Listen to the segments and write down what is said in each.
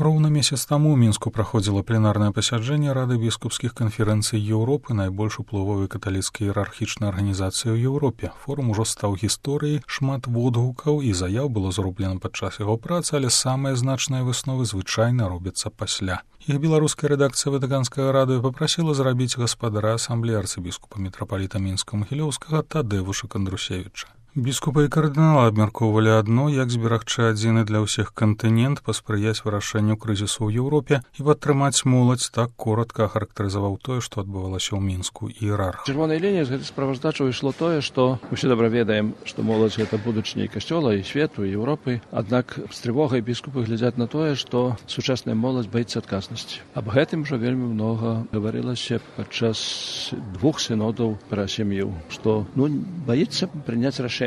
Роўна месяц таму ў Мінску праходзіла пленарнае пасяджэнне Рады біскупскіх канферэнцый Еўропы, найбольш уплывовай каталіцкай іерархічнай арганізацыі ў Еўропе. Форум ужо стаў гісторыяй, шмат водгукаў і заяў было зроблена падчас яго працы, але самыя значныя высновы звычайна робяцца пасля. Іх беларуская рэдакцыя Ватыканскага радыё папрасіла зрабіць гаспадара асамблеі арцыбіскупа мітрапаліта Мінска-Магілёўскага Тадзеуша Кандрусевіча. Біскупы і кардыналы абмяркоўвалі адно, як зберагчы адзіны для ўсіх кантынент, паспрыяць вырашэнню крызісу ў Еўропе і падтрымаць моладзь. Так коратка ахарактарызаваў тое, што адбывалася ў Мінску іерарх. Чырвонай лініяй з гэтай справаздачы ішло тое, што мы ўсе добра ведаем, што моладзь гэта будучыня і касцёла, і свету, і Еўропы. Аднак з трывогай біскупы глядзяць на тое, што сучасная моладзь баіцца адказнасці. Аб гэтым жа вельмі многа гаварылася падчас двух сінодаў пра сям'ю, што баіцца прыняць рашэнне.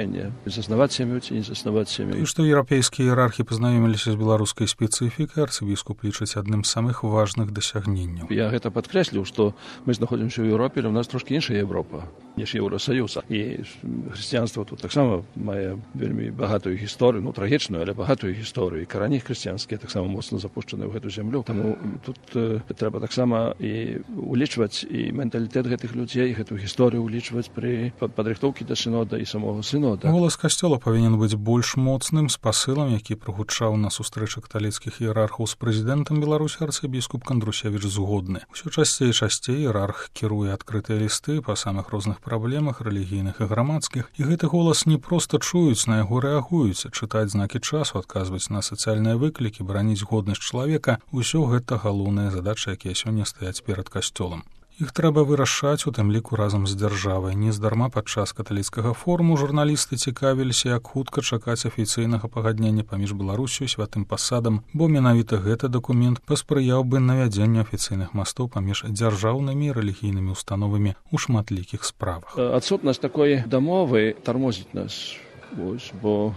Заснаваць сям'ю ці не заснаваць сям'ю. І што еўрапейскія іерархі пазнаёміліся з беларускай спецыфікай, арцыбіскуп лічыць адным з самых важных дасягненняў. Я гэта падкрэсліў, што мы знаходзімся ў Еўропе, але ў нас трошкі іншая Еўропа, ніж Еўросаюз. І хрысціянства тут таксама мае вельмі багатую гісторыю, трагічную, але багатую гісторыю. І карані хрысціянскія таксама моцна запушчаны ў гэту зямлю. Таму тут трэба таксама і улічваць і менталітэт гэтых людзей, гэту гісторыю улічваць пры падрыхтоўкі да сінода і самога сынода. Голас касцёла павінен быць больш моцным, з пасылам, які прагучаў на сустрэчы каталіцкіх іерархаў з прэзідэнтам Беларусі арцыбіскуп Кандрусевіч згодны. Усё часцей і часцей іерарх кіруе адкрытыя лісты па самых розных праблемах рэлігійных і грамадскіх, і гэты голас не проста чуюць, на яго рэагуюць, чытаць знакі часу, адказваць на сацыяльныя выклікі, бараніць годнасць чалавека. Усё гэта галоўныя задачы, якія сёння стаяць перад касцёлам. Іх трэба вырашаць, у тым ліку разам з дзяржавай. Нездарма падчас каталіцкага форуму журналісты цікавіліся, як хутка чакаць афіцыйнага пагаднення паміж Беларусю і святым пасадам, бо менавіта гэты дакумент паспрыяў бы навядзенню афіцыйных мастоў паміж дзяржаўнымі і рэлігійнымі установамі ў шматлікіх справах. Адсутнасць такой дамовы тармозіць нас, бо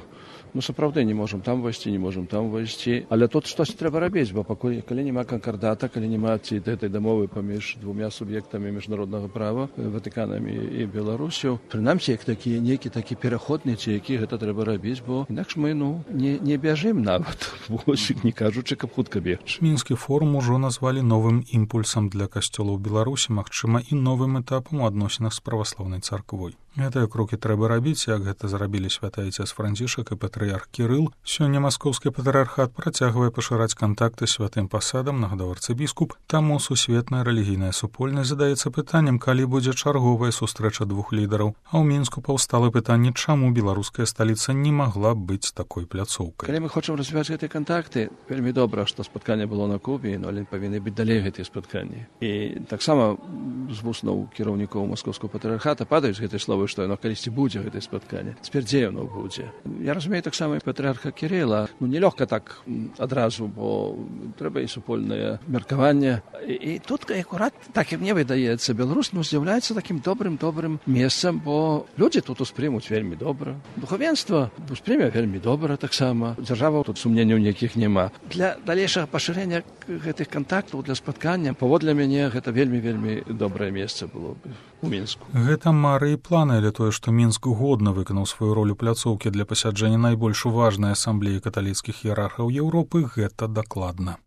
сапраўды не можам там вайсці, не можам там вайсці, але тут штось трэба рабіць, бо пакуль калі няма канкардата, калі няма гэтай дамовы паміж двумя суб'ектамі міжнароднага права, Ватыканам і Беларусю, прынамсі як нейкі такі пераходны, ці які гэта трэба рабіць, бо інакш мы не бяжым нават, не кажучы, каб хутка бегчы. Мінскі форум ужо назвалі новым імпульсам для касцёла ў Беларусі, магчыма, і новым этапам у адносінах з праваслаўнай царквой. Гэтыя крокі трэба рабіць, як гэта зрабілі святы Айцец Францішак і патрыярх Кірыл. Сёння маскоўскі патрыярхат працягвае пашыраць кантакты з святым пасадам, нагадаў арцыбіскуп. Таму сусветная рэлігійная супольнасць задаецца пытаннем, калі будзе чарговая сустрэча двух лідараў. А ў Мінску паўстала пытанне, чаму беларуская сталіца не магла быць такой пляцоўкай. Калі мы хочам развіваць гэтыя кантакты, вельмі добра, што спатканне было на Кубе, але павінны быць далей гэтыя спатканні. І таксама з вуснаў кіраўнікоў маскоўскага патрыярхата падаюць гэтыя словы, што яно калісьці будзе гэтае спатканне. Цяпер дзе яно будзе? Я разумею таксама і патрыярха Кірыла. Нелёгка так адразу, бо трэба і супольнае меркаванне. І тут акурат, так і мне выдаецца, Беларусь з'яўляецца такім добрым месцам, бо людзі тут успрымуць вельмі добра. Духавенства успрыме вельмі добра таксама. Дзяржава тут сумненняў ніякіх няма. Для далейшага пашырэння гэтых кантактаў, для спаткання, паводле мяне, гэта вельмі добрае месца было бы у Мінску. Гэта мары і планы, але тое, што Мінск годна выканаў сваю ролю пляцоўкі для пасяджэння найбольш важнай асамблеі каталіцкіх іерархаў Еўропы, гэта дакладна.